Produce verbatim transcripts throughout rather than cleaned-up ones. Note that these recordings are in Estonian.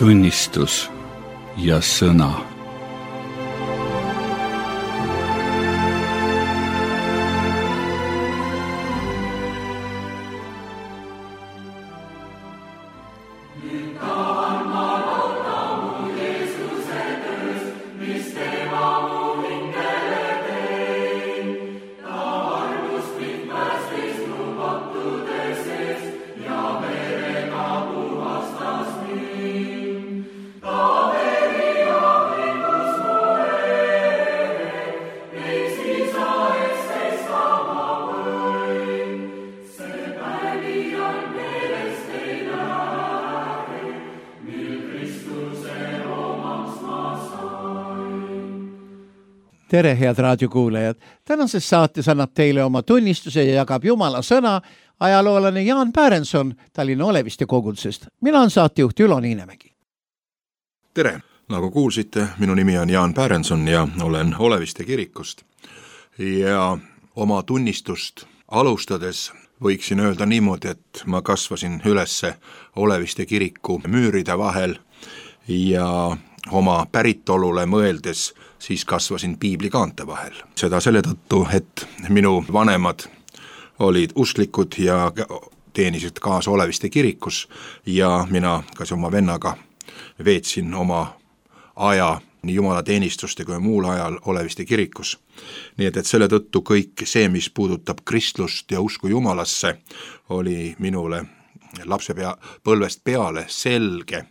tunnistus ja sõna. Tere, head raadiokuulajad! Tänases saates annab teile oma tunnistuse ja jagab Jumala sõna ajaloolane Jaan Pärenson Tallinna Oleviste kogudusest. Mina on saatejuht Ülo Niinemägi. Tere! Nagu kuulsite, minu nimi on Jaan Pärenson ja olen Oleviste kirikust. Ja oma tunnistust alustades võiksin öelda niimoodi, et ma kasvasin ülesse Oleviste kiriku müüride vahel ja oma päritolule mõeldes siis kasvasin piiblikaante vahel. Seda selle tõttu, et minu vanemad olid usklikud ja teenisid kaasa Oleviste kirikus ja mina kas oma vennaga veetsin oma aja nii jumalateenistuste kui muul ajal Oleviste kirikus. Nii et, et selle tõttu kõik see, mis puudutab kristlust ja usku Jumalasse, oli minule lapse pea, põlvest peale selge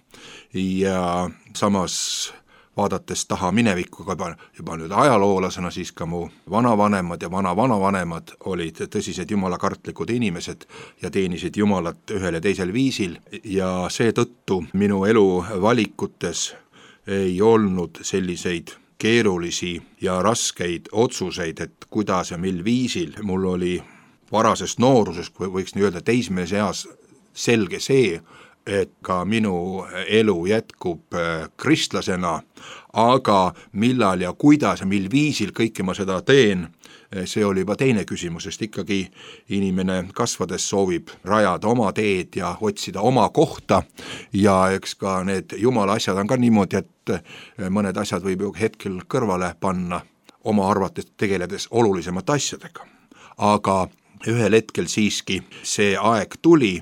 ja samas vaadates taha minevikku juba, juba nüüd ajaloolasena, siis ka mu vanavanemad ja vana-vanavanemad olid tõsised jumalakartlikud inimesed ja teenisid Jumalat ühel ja teisel viisil ja seetõttu minu elu valikutes ei olnud selliseid keerulisi ja raskeid otsuseid, et kuidas ja mil viisil. Mul oli varasest noorusest, kui võiks nii öelda teismelise eas selge see, et ka minu elu jätkub kristlasena, aga millal ja kuidas ja mil viisil kõike ma seda teen, see oli juba teine küsimus, sest ikkagi inimene kasvades soovib rajada oma teed ja otsida oma kohta ja eks ka need jumala asjad on ka niimoodi, et mõned asjad võib ju hetkel kõrvale panna oma arvates tegeledes olulisemate asjadega. Aga ühel hetkel siiski see aeg tuli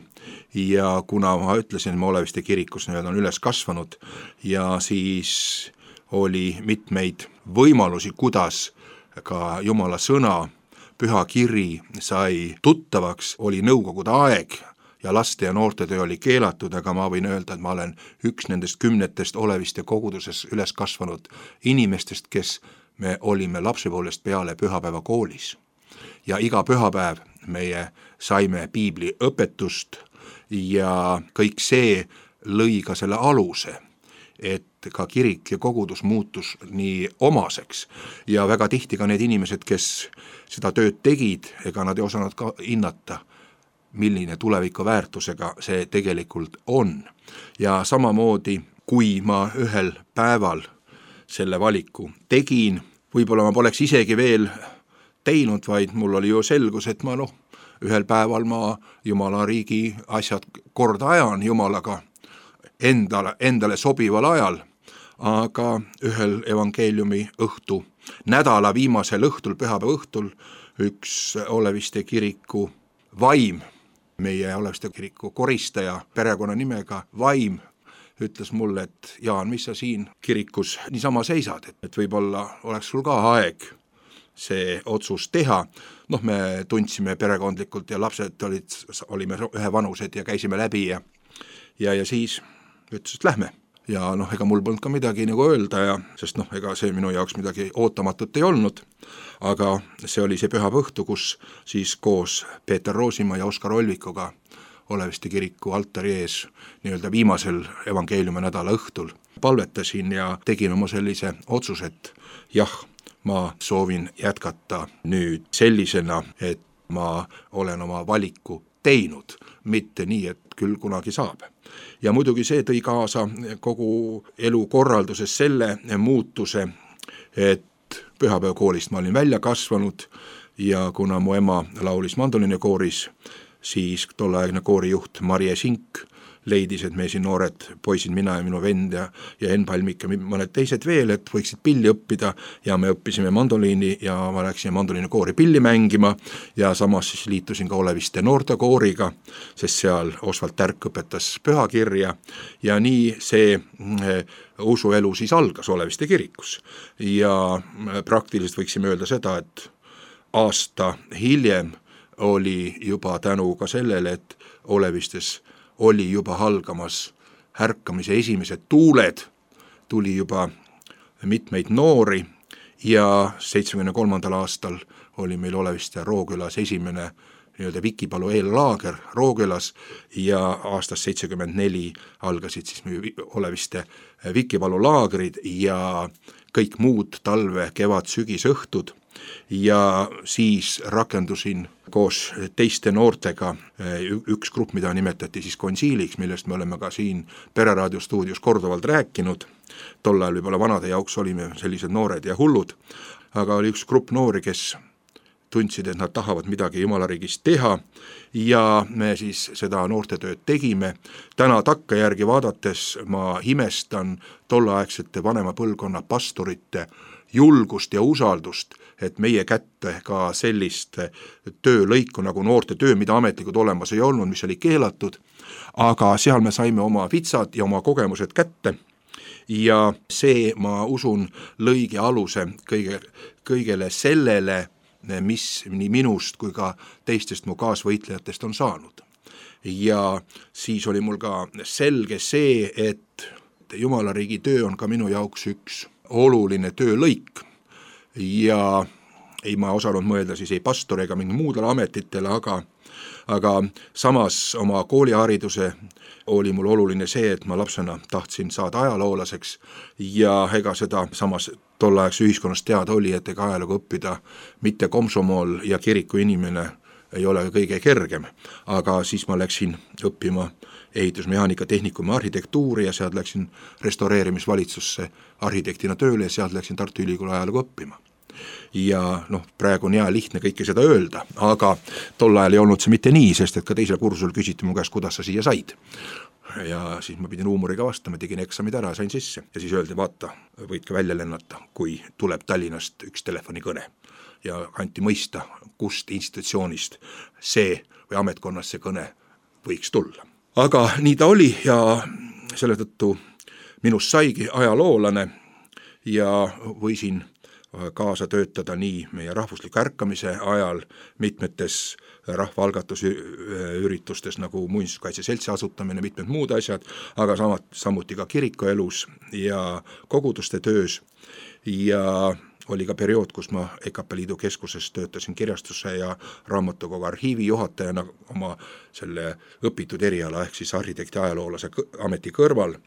ja kuna ma ütlesin, ma Oleviste kirikus nüüd on üles kasvanud ja siis oli mitmeid võimalusi, kuidas ka Jumala sõna, püha kiri sai tuttavaks, oli nõukogude aeg ja laste ja noortetöö oli keelatud, aga ma võin öelda, et ma olen üks nendest kümnetest Oleviste koguduses üles kasvanud inimestest, kes me olime lapsepoolest peale pühapäeva koolis. Ja iga pühapäev meie saime piibli õpetust ja kõik see lõi ka selle aluse, et ka kirik ja kogudus muutus nii omaseks ja väga tihti ka need inimesed, kes seda tööd tegid, ega nad ei osanud ka hinnata, milline tuleviku väärtusega see tegelikult on. Ja samamoodi, kui ma ühel päeval selle valiku tegin, võib-olla ma poleks isegi veel teinud, vaid mul oli ju selgus, et ma noh, ühel päeval ma Jumala riigi asjad korda ajan Jumalaga endale, endale sobival ajal, aga ühel evangeeliumi õhtu, nädala viimasel õhtul, pühapäeva õhtul, üks Oleviste kiriku vaim, meie Oleviste kiriku koristaja perekonna nimega Vaim, ütles mulle, et Jaan, mis sa siin kirikus niisama seisad, et, et võib-olla oleks sul ka aeg see otsus teha. Noh, me tundsime perekondlikult ja lapsed olid, olime ühe vanused ja käisime läbi ja, ja, ja siis ütles, et lähme. Ja noh, ega mul polnud ka midagi nagu öelda, ja, sest noh, ega see minu jaoks midagi ootamatut ei olnud, aga see oli see pühapäeva õhtu, kus siis koos Peeter Roosimaa ja Oskar Olvikuga Oleviste kiriku altari ees nii-öelda viimasel evangeeliumi nädala õhtul palvetasin ja tegin oma sellise otsuse, et jah, ma soovin jätkata nüüd sellisena, et ma olen oma valiku teinud, mitte nii, et küll kunagi saab. Ja muidugi see tõi kaasa kogu elukorralduses selle muutuse, et pühapäevakoolist ma olin välja kasvanud ja kuna mu ema laulis mandoliinikooris, siis tolleaegne koorijuht Marje Sink leidis, et me siin noored poisid, mina ja minu vend ja, ja Enn Palmik ja mõned teised veel, et võiksid pilli õppida ja me õppisime mandoliini ja ma läksin mandoliinikoori pilli mängima ja samas siis liitusin ka Oleviste noortekooriga, sest seal Osvald Tärk õpetas pühakirja ja nii see usuelu siis algas Oleviste kirikus ja praktiliselt võiksime öelda seda, et aasta hiljem oli juba tänu ka sellele, et Olevistes oli juba halgamas härkamise esimesed tuuled, tuli juba mitmeid noori ja seitsmekümne kolmandal aastal oli meil Oleviste Rookülas esimene nii-öelda Vikipalu eellaager Rookülas ja aastast seitsekümmend neli algasid siis Oleviste Vikipalu laagrid ja kõik muud talve, kevad, sügis, õhtud ja siis rakendusin koos teiste noortega üks grupp, mida nimetati siis konsiiliks, millest me oleme ka siin Pereraadio stuudios korduvalt rääkinud. Tol ajal võib-olla vanade jaoks olime sellised noored ja hullud, aga oli üks grupp noori, kes tundsid, et nad tahavad midagi Jumalariigist teha ja me siis seda noortetööd tegime. Täna takkajärgi vaadates ma imestan tolleaegsete vanema põlvkonna pastorite julgust ja usaldust, et meie kätte ka sellist töölõiku nagu noorte töö, mida ametlikud olemas ei olnud, mis oli keelatud, aga seal me saime oma vitsad ja oma kogemused kätte ja see, ma usun, lõigi aluse kõige, kõigele sellele, mis nii minust kui ka teistest mu kaasvõitlejatest on saanud. Ja siis oli mul ka selge see, et Jumalariigi töö on ka minu jaoks üks oluline töölõik ja ei ma osanud mõelda siis ei pastori ega mingi muudele ametitele, aga, aga samas oma koolihariduse oli mul oluline see, et ma lapsena tahtsin saada ajaloolaseks ja ega seda samas tolleaegse ühiskonnas teada oli, et ega ajalugu õppida mitte komsomool ja kiriku inimene ei ole kõige kergem, aga siis ma läksin õppima ehitusmehaanika tehnikumi arhitektuuri ja sealt läksin restaureerimisvalitsusse arhitektina tööle ja sealt läksin Tartu Ülikooli ajalugu õppima. Ja noh, praegu on hea lihtne kõike seda öelda, aga tol ajal ei olnud see mitte nii, sest et ka teisel kursusel küsiti mu käest, kuidas sa siia said. Ja siis ma pidin huumoriga vastama, tegin eksamid ära, sain sisse ja siis öeldi, vaata, võid ka välja lennata, kui tuleb Tallinnast üks telefonikõne ja anti mõista, kust institutsioonist see või ametkonnast see kõne võiks tulla. Aga nii ta oli ja selle tõttu minust saigi ajaloolane ja võisin kaasa töötada nii meie rahvusliku ärkamise ajal mitmetes rahvaalgatusüritustes nagu Muinsuskaitse Seltsi asutamine, mitmed muud asjad, aga samat, samuti ka kirikuelus ja koguduste töös ja oli ka periood, kus ma E K P Liidu keskuses töötasin kirjastuse ja raamatukogu arhiivi juhatajana oma selle õpitud eriala ehk siis arhitekti ajaloolase ameti kõrval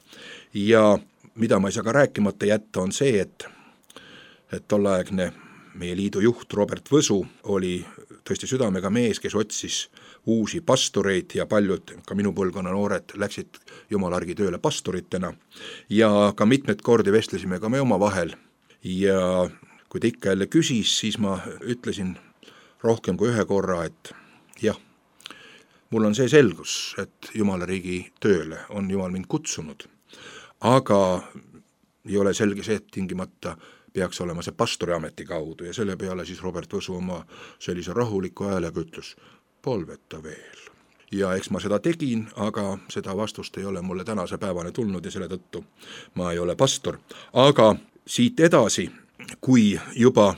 ja mida ma ei saa ka rääkimata jätta on see, et et tolleaegne meie liidu juht Robert Võsu oli tõesti südamega mees, kes otsis uusi pastoreid ja paljud ka minu põlvkonna noored läksid Jumalargi tööle pastoritena ja ka mitmed kordi vestlesime ka me oma vahel ja kui ta ikka jälle küsis, siis ma ütlesin rohkem kui ühe korra, et jah, mul on see selgus, et Jumalariigi tööle on Jumal mind kutsunud, aga ei ole selge see, et tingimata peaks olema see pastoriameti kaudu ja selle peale siis Robert Võsu oma sellise rahuliku häälega ütles, palveta veel. Ja eks ma seda tegin, aga seda vastust ei ole mulle tänase päevane tulnud ja selle tõttu ma ei ole pastor. Aga siit edasi, kui juba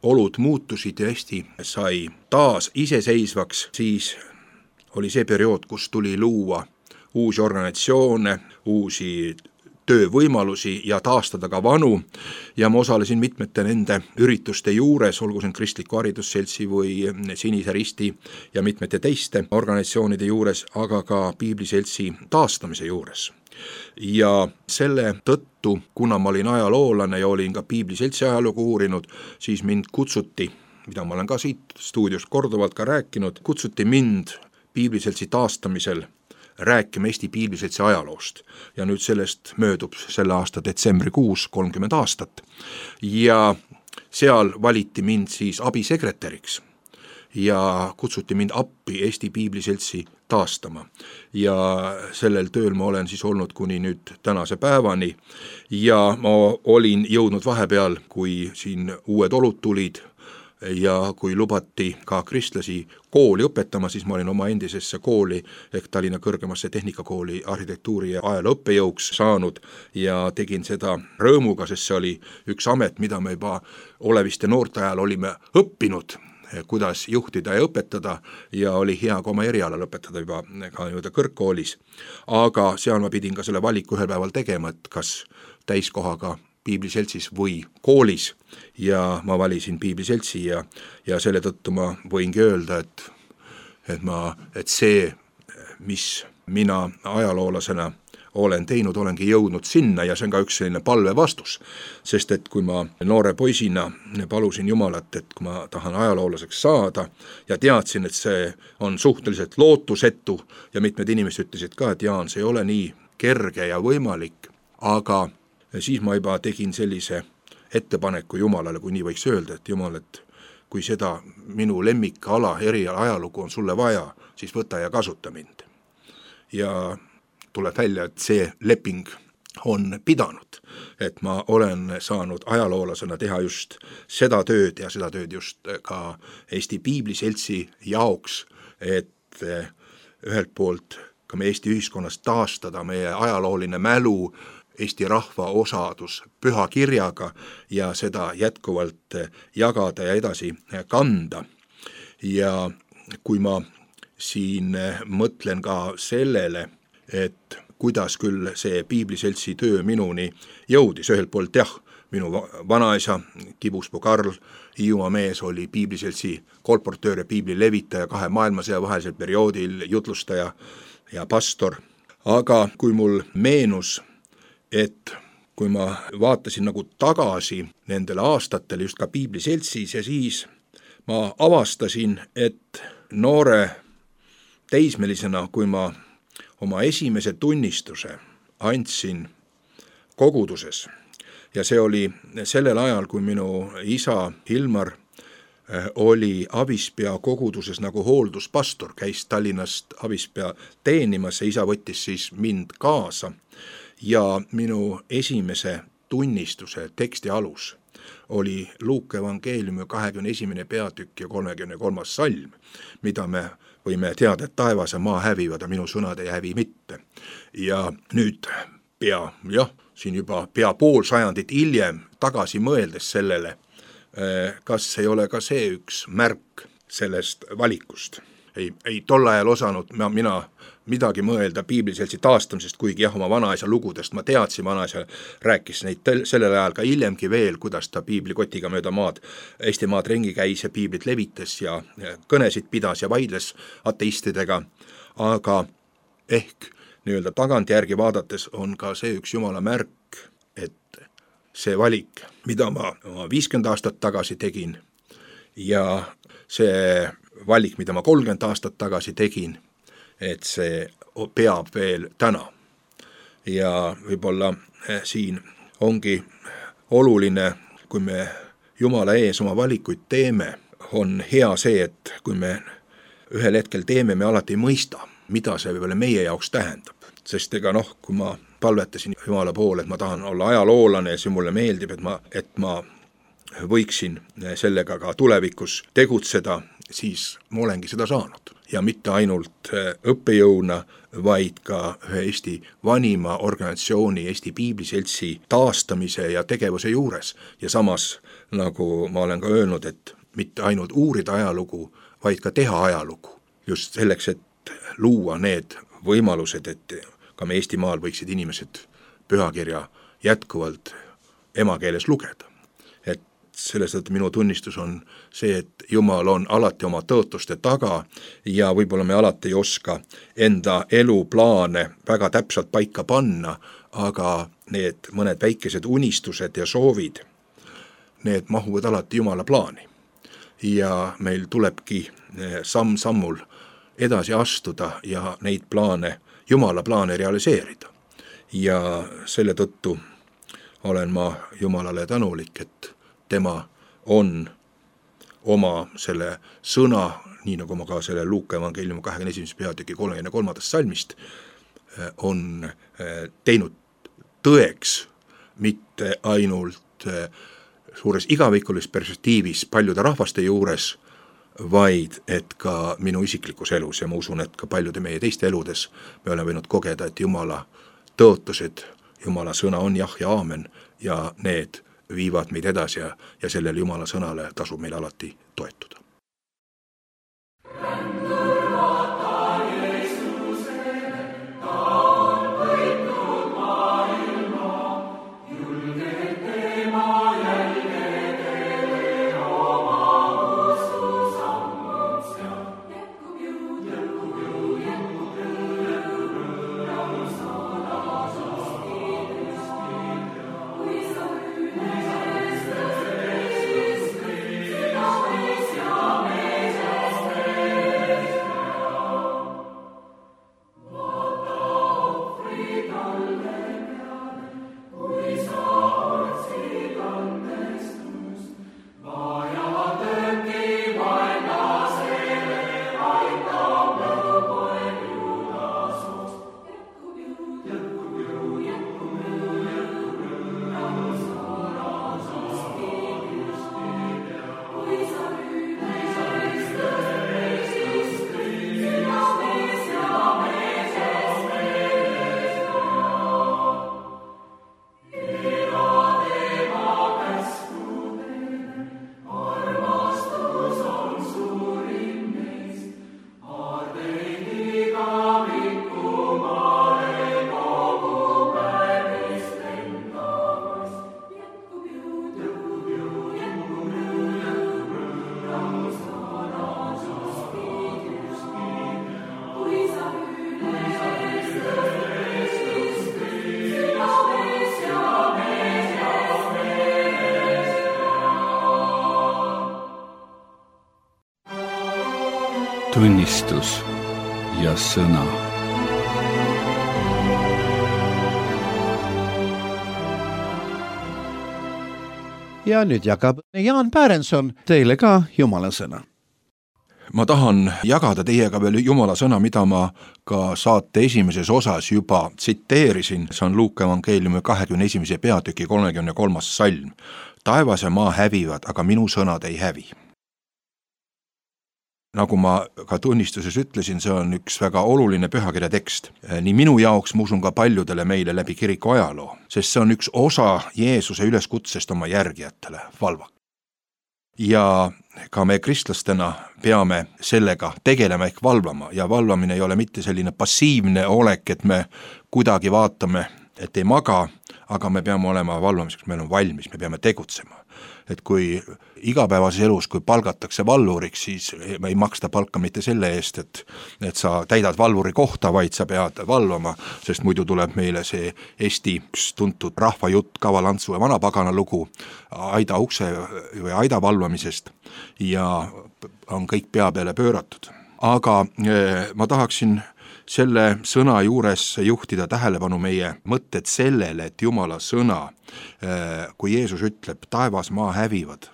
olud muutusid ja Eesti sai taas iseseisvaks, siis oli see periood, kus tuli luua uusi organisatsioone, uusi töövõimalusi ja taastada ka vanu ja ma osalesin mitmete nende ürituste juures, olgu see Kristliku Haridusseltsi või Sinise Risti ja mitmete teiste organisatsioonide juures, aga ka Piibliseltsi taastamise juures. Ja selle tõttu, kuna ma olin ajaloolane ja olin ka Piibliseltsi ajalugu uurinud, siis mind kutsuti, mida ma olen ka siit stuudios korduvalt ka rääkinud, kutsuti mind Piibliseltsi taastamisel rääkima Eesti Piibliseltsi ajaloost ja nüüd sellest möödub selle aasta detsembrikuus kolmkümmend aastat ja seal valiti mind siis abisekretäriks ja kutsuti mind appi Eesti Piibliseltsi taastama. Ja sellel tööl ma olen siis olnud kuni nüüd tänase päevani ja ma olin jõudnud vahepeal, kui siin uued olud tulid ja kui lubati ka kristlasi kooli õpetama, siis ma olin oma endisesse kooli ehk Tallinna kõrgemasse tehnikakooli arhitektuuri ja ajaloo õppejõuks saanud ja tegin seda rõõmuga, sest see oli üks amet, mida me juba oleviste noorte ajal olime õppinud, kuidas juhtida ja õpetada ja oli hea ka oma eriala lõpetada juba ka nii-öelda kõrgkoolis. Aga seal ma pidin ka selle valiku ühel päeval tegema, et kas täiskohaga Piibliseltsis või koolis ja ma valisin Piibliseltsi ja, ja selle tõttu ma võingi öelda, et, et, ma, et see, mis mina ajaloolasena olen teinud, olengi jõudnud sinna ja see on ka üks selline palve vastus, sest et kui ma noore poisina palusin Jumalat, et kui ma tahan ajaloolaseks saada ja teadsin, et see on suhteliselt lootusetu ja mitmed inimesed ütlesid ka, et Jaan, see ei ole nii kerge ja võimalik, aga siis ma juba tegin sellise ettepaneku Jumalale, kui nii võiks öelda, et Jumal, et kui seda minu lemmikala eriala ajalugu on sulle vaja, siis võta ja kasuta mind. Ja tuleb välja, et see leping on pidanud, et ma olen saanud ajaloolasena teha just seda tööd ja seda tööd just ka Eesti Piibliseltsi jaoks, et ühelt poolt ka me Eesti ühiskonnas taastada meie ajalooline mälu, Eesti rahva osadus püha kirjaga ja seda jätkuvalt jagada ja edasi kanda. Ja kui ma siin mõtlen ka sellele, et kuidas küll see Piibliseltsi töö minuni jõudis, ühelt poolt jah, minu vanaisa Kibuspuu Karl, Hiiumaa mees, oli Piibliseltsi kolportöör ja piibli levitaja kahe maailmasõja vahelisel perioodil, jutlustaja ja pastor. Aga kui mul meenus, et kui ma vaatasin nagu tagasi nendele aastatele just ka Piibliseltsis ja siis ma avastasin, et noore teismelisena, kui ma oma esimese tunnistuse andsin koguduses ja see oli sellel ajal, kui minu isa Hilmar oli Abispea koguduses nagu hoolduspastor, käis Tallinnast Abispea teenimas ja isa võttis siis mind kaasa. Ja minu esimese tunnistuse teksti alus oli Luuke evangeeliumi kahekümne esimene peatükk ja kolmekümne kolmas salm, mida me võime teada, et taevas ja maa hävivad ja minu sõnad ei hävi mitte. Ja nüüd pea, jah, siin juba pea pool sajandit hiljem tagasi mõeldes sellele, kas ei ole ka see üks märk sellest valikust. Ei, ei tol ajal osanud ma, mina midagi mõelda Piibliseltsi taastamisest, kuigi jah, oma vanaisa lugudest ma teadsin, vanaisa rääkis neid tel, sellel ajal ka hiljemgi veel, kuidas ta piiblikotiga mööda maad, Eesti maad ringi käis ja piiblit levitas ja kõnesid pidas ja vaidles ateistidega, aga ehk nii-öelda tagantjärgi vaadates on ka see üks Jumala märk, et see valik, mida ma viiskümmend aastat tagasi tegin ja see valik, mida ma kolmkümmend aastat tagasi tegin, et see peab veel täna. Ja võib-olla siin ongi oluline, kui me Jumala ees oma valikuid teeme, on hea see, et kui me ühel hetkel teeme, me alati ei mõista, mida see võib-olla meie jaoks tähendab. Sest ega noh, kui ma palvetasin Jumala poole, et ma tahan olla ajaloolane ja see mulle meeldib, et ma, et ma võiksin sellega ka tulevikus tegutseda, siis ma olengi seda saanud. Ja mitte ainult õppejõuna, vaid ka ühe Eesti vanima organisatsiooni, Eesti Piibliseltsi taastamise ja tegevuse juures. Ja samas, nagu ma olen ka öelnud, et mitte ainult uurida ajalugu, vaid ka teha ajalugu. Just selleks, et luua need võimalused, et ka me Eestimaal võiksid inimesed pühakirja jätkuvalt emakeeles lugeda. Selles tõttu minu tunnistus on see, et Jumal on alati oma tõotuste taga ja võib-olla me alati ei oska enda eluplaane väga täpselt paika panna, aga need mõned väikesed unistused ja soovid, need mahuvad alati Jumala plaani. Ja meil tulebki samm-sammul edasi astuda ja neid plaane, Jumala plaane realiseerida. Ja selle tõttu olen ma Jumalale tänulik, et tema on oma selle sõna, nii nagu ma ka selle Luuka evangeeliumi kahekümne esimese peatüki kolmekümne kolmandast salmist, on teinud tõeks mitte ainult suures igavikulis perspektiivis paljude rahvaste juures, vaid et ka minu isiklikus elus ja ma usun, et ka paljude meie teiste eludes me oleme võinud kogeda, et Jumala tõotused, Jumala sõna on jah ja aamen ja need viivad meid edasi ja, ja sellele Jumala sõnale tasub meil alati toetuda. Tunnistus ja sõna. Ja nüüd jagab Jaan Pärenson teile ka Jumala sõna. Ma tahan jagada teiega veel Jumala sõna, mida ma ka saate esimeses osas juba tsiteerisin. See on Luuka evangeeliumi kahekümne esimese peatüki kolmekümne kolmas salm. Taevas ja maa hävivad, aga minu sõnad ei hävi. Nagu ma ka tunnistuses ütlesin, see on üks väga oluline pühakirja tekst. Nii minu jaoks, ma usun ka paljudele meile läbi kiriku ajaloo, sest see on üks osa Jeesuse üleskutsest oma järgijatele, valva. Ja ka me kristlastena peame sellega tegelema ehk valvama ja valvamine ei ole mitte selline passiivne olek, et me kuidagi vaatame, et ei maga, aga me peame olema valvamiseks, meil on valmis, me peame tegutsema. Et kui igapäevases elus, kui palgatakse valvuriks, siis ei maksta palka mitte selle eest, et, et sa täidad valvuri kohta, vaid sa pead valvama, sest muidu tuleb meile see Eesti tuntud rahvajutt, kavalantsu ja vanapagana lugu aida ukse või aida valvamisest ja on kõik pea peale pööratud. Aga ma tahaksin selle sõna juures juhtida tähelepanu meie mõtted sellele, et Jumala sõna, kui Jeesus ütleb, taevas maa hävivad,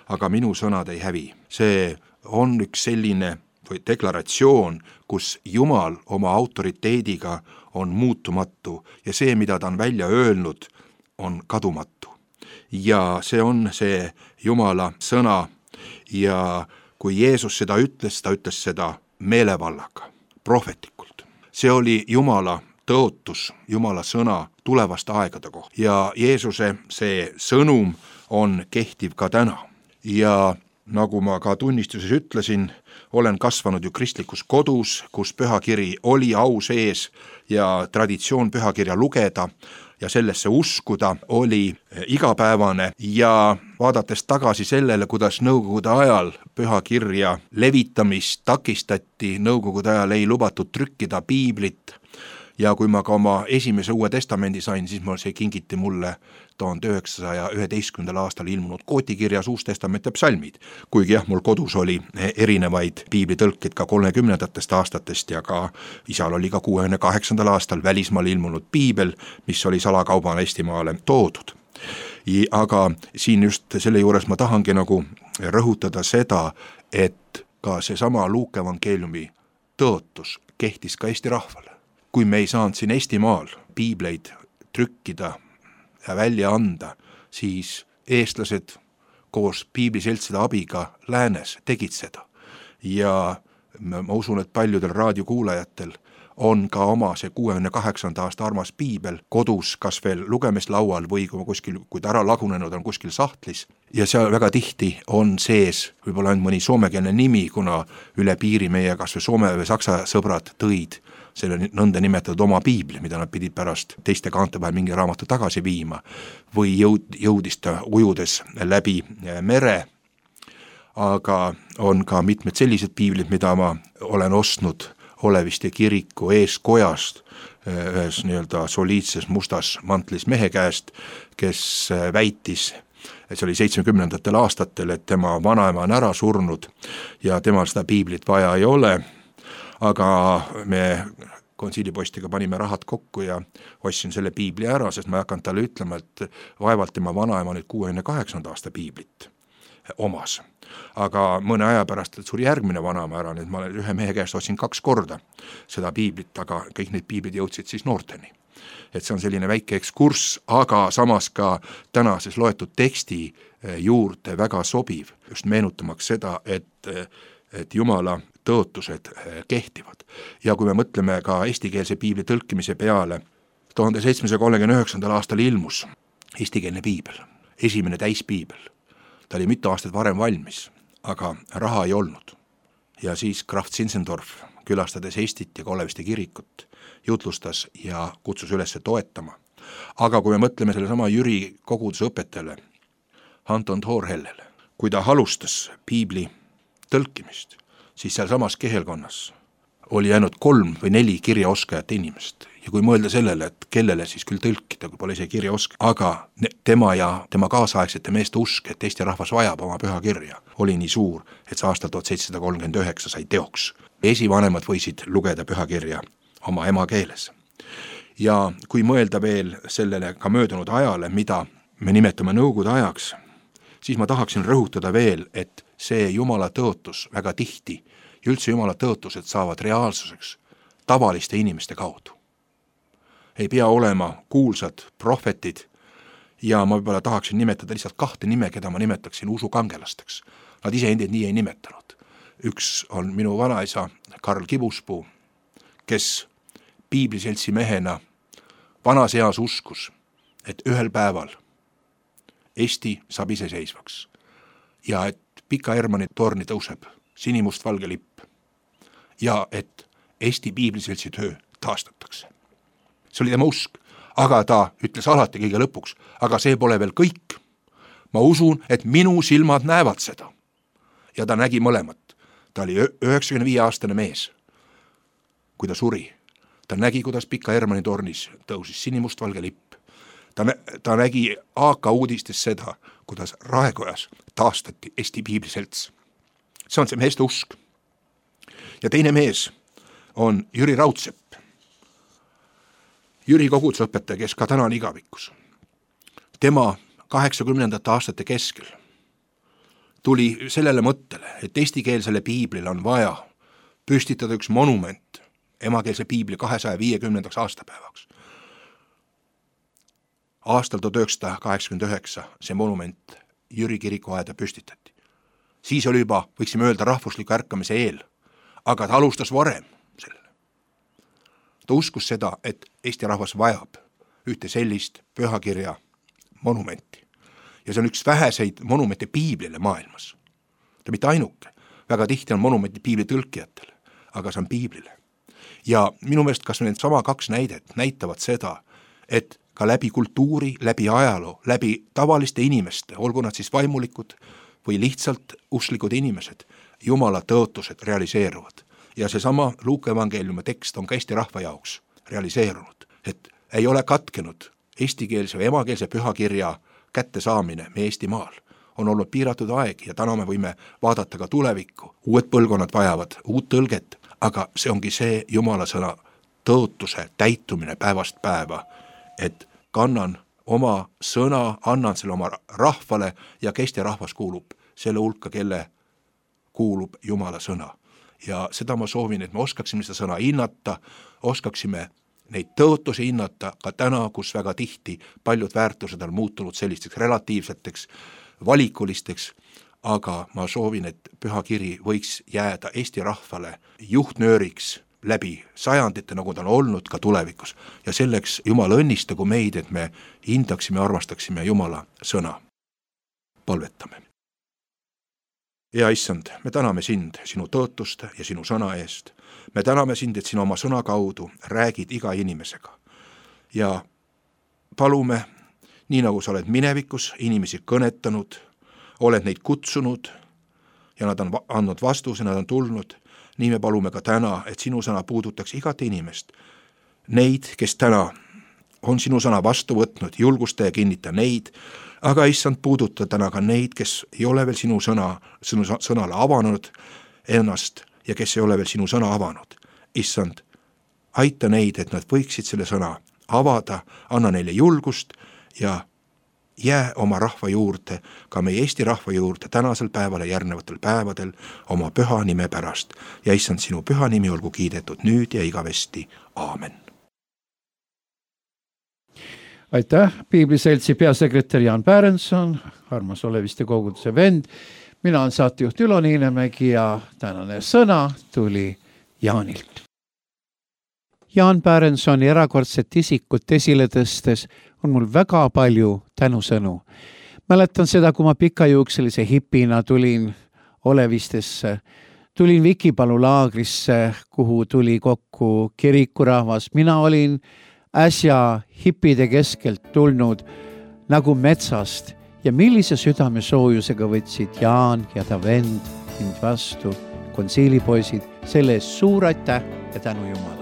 aga minu sõnad ei hävi. See on üks selline või deklaratsioon, kus Jumal oma autoriteediga on muutumatu ja see, mida ta on välja öelnud, on kadumatu. Ja see on see Jumala sõna ja kui Jeesus seda ütles, ta ütles seda meelevallaga, prohvetlikult. See oli Jumala tõotus, Jumala sõna tulevaste aegade kohta. Ja Jeesuse see sõnum on kehtiv ka täna. Ja nagu ma ka tunnistuses ütlesin, olen kasvanud ju kristlikus kodus, kus pühakiri oli au sees ja traditsioon pühakirja lugeda ja sellesse uskuda oli igapäevane ja vaadates tagasi sellele, kuidas nõukogude ajal pühakirja levitamist takistati, nõukogude ajal ei lubatud trükkida piiblit ja kui ma ka oma esimese uue testamendi sain, siis ma see kingiti mulle tuhande üheksasaja üheteistkümnendal aastal ilmunud kootikirjas Uus Testament ja psalmid. Kuigi jah, mul kodus oli erinevaid piiblitõlkeid ka kolmekümnendatest aastatest ja ka isal oli ka kuuekümne kaheksandal aastal välismaal ilmunud piibel, mis oli salakaubana Eestimaale toodud. Aga siin just selle juures ma tahangi nagu rõhutada seda, et ka seesama Luuke evangeeliumi tõotus kehtis ka Eesti rahvale. Kui me ei saanud siin Eestimaal piibleid trükkida ja välja anda, siis eestlased koos piibliseltside abiga läänes tegid seda. Ja ma usun, et paljudel raadiokuulajatel on ka oma see kuuekümne kaheksanda aasta armas piibel kodus, kas veel lugemislaual või kuskil, kui ta ära lagunenud on kuskil sahtlis. Ja seal väga tihti on sees võib-olla ainult mõni soomekeelne nimi, kuna üle piiri meie kas või soome või saksa sõbrad tõid selle nõnda nimetatud oma piibli, mida nad pidid pärast teiste kaante vahel mingi raamatu tagasi viima, või jõud, jõudis ta ujudes läbi mere. Aga on ka mitmed sellised piiblid, mida ma olen ostnud Oleviste kiriku eeskojast ühes nii-öelda soliidses mustas mantlis mehe käest, kes väitis, et see oli seitsmekümnendatel aastatel, et tema vanaema on ära surnud ja temal seda piiblit vaja ei ole, aga me konsiilipostiga panime rahad kokku ja ostsin selle piibli ära, sest ma ei hakanud talle ütlema, et vaevalt tema vanaema nüüd kuuekümne kaheksanda aasta piiblit omas. Aga mõne aja pärast suri järgmine vanaema ära, nüüd ma ühe mehe käest ostsin kaks korda seda piiblit, aga kõik need piiblid jõudsid siis noorteni. Et see on selline väike ekskurss, aga samas ka tänases loetud teksti juurde väga sobiv, just meenutamaks seda, et, et Jumala tõotused kehtivad. Ja kui me mõtleme ka eestikeelse piibli tõlkimise peale, tuhande seitsmesaja kolmekümne üheksandal aastal ilmus eestikeelne piibel, esimene täispiibel. Ta oli mitu aastat varem valmis, aga raha ei olnud. Ja siis Graf Zinzendorf, külastades Eestit ja Oleviste kirikut, jutlustas ja kutsus üles toetama. Aga kui me mõtleme selle sama Jüri koguduse õpetajale, Anton Thorhellele, kui ta alustas piibli tõlkimist, siis seal samas kehelkonnas oli ainult kolm või neli kirjaoskajat inimest. Ja kui mõelda sellele, et kellele siis küll tõlkida, kui pole ise kirjaoska, aga tema ja tema kaasaegsete meeste usk, et Eesti rahvas vajab oma püha kirja, oli nii suur, et see aastal tuhat seitsesada kolmkümmend üheksa sai teoks. Esivanemad võisid lugeda püha kirja oma emakeeles. Ja kui mõelda veel sellele ka möödunud ajale, mida me nimetame nõukogude ajaks, siis ma tahaksin rõhutada veel, et see Jumala tõotus väga tihti, üldse Jumala tõotused saavad reaalsuseks tavaliste inimeste kaudu. Ei pea olema kuulsad prohvetid ja ma võib-olla tahaksin nimetada lihtsalt kahte nime, keda ma nimetaksin usukangelasteks. Nad ise endid nii ei nimetanud. Üks on minu vanaisa Karl Kibuspuu, kes piibliseltsi mehena vanas eas uskus, et ühel päeval Eesti saab iseseisvaks ja et Pika Hermanni torni tõuseb sinimustvalge lipp ja et Eesti piibliseltsi töö taastatakse. See oli tema usk, aga ta ütles alati kõige lõpuks, aga see pole veel kõik. Ma usun, et minu silmad näevad seda. Ja ta nägi mõlemat. Ta oli üheksakümne viie aastane mees, kui ta suri. Ta nägi, kuidas Pika Hermanni tornis tõusis sinimustvalge lipp. Ta, nä- ta nägi A K uudistes seda, kuidas Raekojas taastati Eesti piibliselts. See on see meeste usk. Ja teine mees on Jüri Raudsepp. Jüri kogudusõpetaja, kes ka täna on igavikus. Tema kaheksakümnendate aastate keskel tuli sellele mõttele, et eestikeelsele piiblile on vaja püstitada üks monument emakeelse piibli kahesaja viiekümnendaks aastapäevaks. Aastal tuhat üheksasada kaheksakümmend üheksa see monument Jüri kirikuaeda püstitati. Siis oli juba, võiksime öelda, rahvusliku ärkamise eel, aga ta alustas varem sellele. Ta uskus seda, et Eesti rahvas vajab ühte sellist pühakirja monumenti. Ja see on üks väheseid monumente piiblile maailmas. Ta mitte ainuke. Väga tihti on monumenti piibli tõlkijatele, aga see on piiblile. Ja minu meelest kas need sama kaks näidet näitavad seda, et ka läbi kultuuri, läbi ajaloo, läbi tavaliste inimeste, olgu nad siis vaimulikud või lihtsalt usklikud inimesed, Jumala tõotused realiseeruvad. Ja seesama Luuke evangeeliumi tekst on ka Eesti rahva jaoks realiseerunud, et ei ole katkenud eestikeelse või emakeelse pühakirja kätte saamine meie Eestimaal. On olnud piiratud aeg ja täna me võime vaadata ka tulevikku. Uued põlvkonnad vajavad uut tõlget, aga see ongi see Jumala sõna tõotuse täitumine päevast päeva, et kannan oma sõna, annan selle oma rahvale ja Eesti rahvas kuulub selle hulka, kelle kuulub Jumala sõna. Ja seda ma soovin, et me oskaksime seda sõna hinnata, oskaksime neid tõotusi hinnata ka täna, kus väga tihti paljud väärtused on muutunud sellisteks relatiivseteks, valikulisteks, aga ma soovin, et püha kiri võiks jääda Eesti rahvale juhtnööriks läbi sajandite, nagu ta on olnud ka tulevikus. Ja selleks Jumal õnnistagu meid, et me hindaksime, armastaksime Jumala sõna. Palvetame. Hea Issand, me täname sind sinu tõotuste ja sinu sõna eest. Me täname sind, et sinu oma sõna kaudu räägid iga inimesega. Ja palume, nii nagu sa oled minevikus inimesi kõnetanud, oled neid kutsunud ja nad on andnud vastuse, nad on tulnud, nii me palume ka täna, et sinu sõna puudutaks igat inimest. Neid, kes täna on sinu sõna vastu võtnud, julgusta ja kinnita neid, aga issand puuduta täna ka neid, kes ei ole veel sinu sõna, sinu sõnale avanud ennast ja kes ei ole veel sinu sõna avanud. Issand, aita neid, et nad võiksid selle sõna avada, anna neile julgust ja jää oma rahva juurde, ka meie Eesti rahva juurde tänasel päeval ja järgnevatel päevadel oma püha nime pärast. Ja issand, sinu püha nimi olgu kiidetud nüüd ja igavesti. Aamen. Aitäh, Piibliseltsi peasekretär Jaan Pärenson, armas Oleviste koguduse vend. Mina on saatejuht Ülo Niinemägi ja tänane sõna tuli Jaanilt. Jaan Pärensoni erakordset isikut esile tõstes on mul väga palju tänusõnu. Mäletan seda, kui ma pikajuukselise hipina tulin Olevistesse, tulin Vikipalu laagrisse, kuhu tuli kokku kirikurahvas. Mina olin äsja hipide keskelt tulnud nagu metsast ja millise südame soojusega võtsid Jaan ja ta vend mind vastu, konsiilipoisid, selle eest suur aitäh ja tänu Jumal.